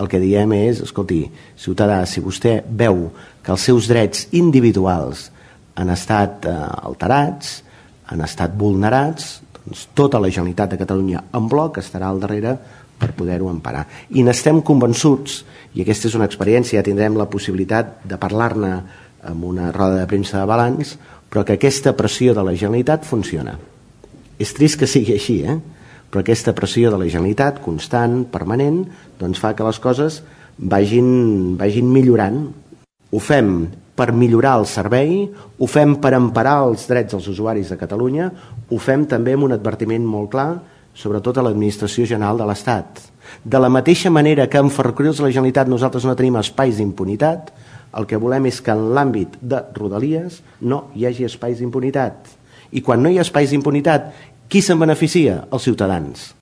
El que diem és, escolti, ciutadà, si vostè veu que els seus drets individuals han estat alterats, han estat vulnerats, doncs tota la Generalitat de Catalunya en bloc estarà al darrere per poder-ho emparar. I n'estem convençuts, i aquesta és una experiència, ja tindrem la possibilitat de parlar-ne en una roda de premsa de balanç, però que aquesta pressió de la Generalitat funciona. És trist que sigui així, però aquesta pressió de la Generalitat, constant, permanent, doncs fa que les coses vagin millorant. Ho fem per millorar el servei, ho fem per emparar els drets dels usuaris de Catalunya, ho fem també amb un advertiment molt clar, sobretot a l'Administració General de l'Estat. De la mateixa manera que en Ferrocarrils de la Generalitat nosaltres no tenim espais d'impunitat, el que volem és que en l'àmbit de Rodalies no hi hagi espais d'impunitat. I quan no hi ha espais d'impunitat, qui se'n beneficia? Els ciutadans.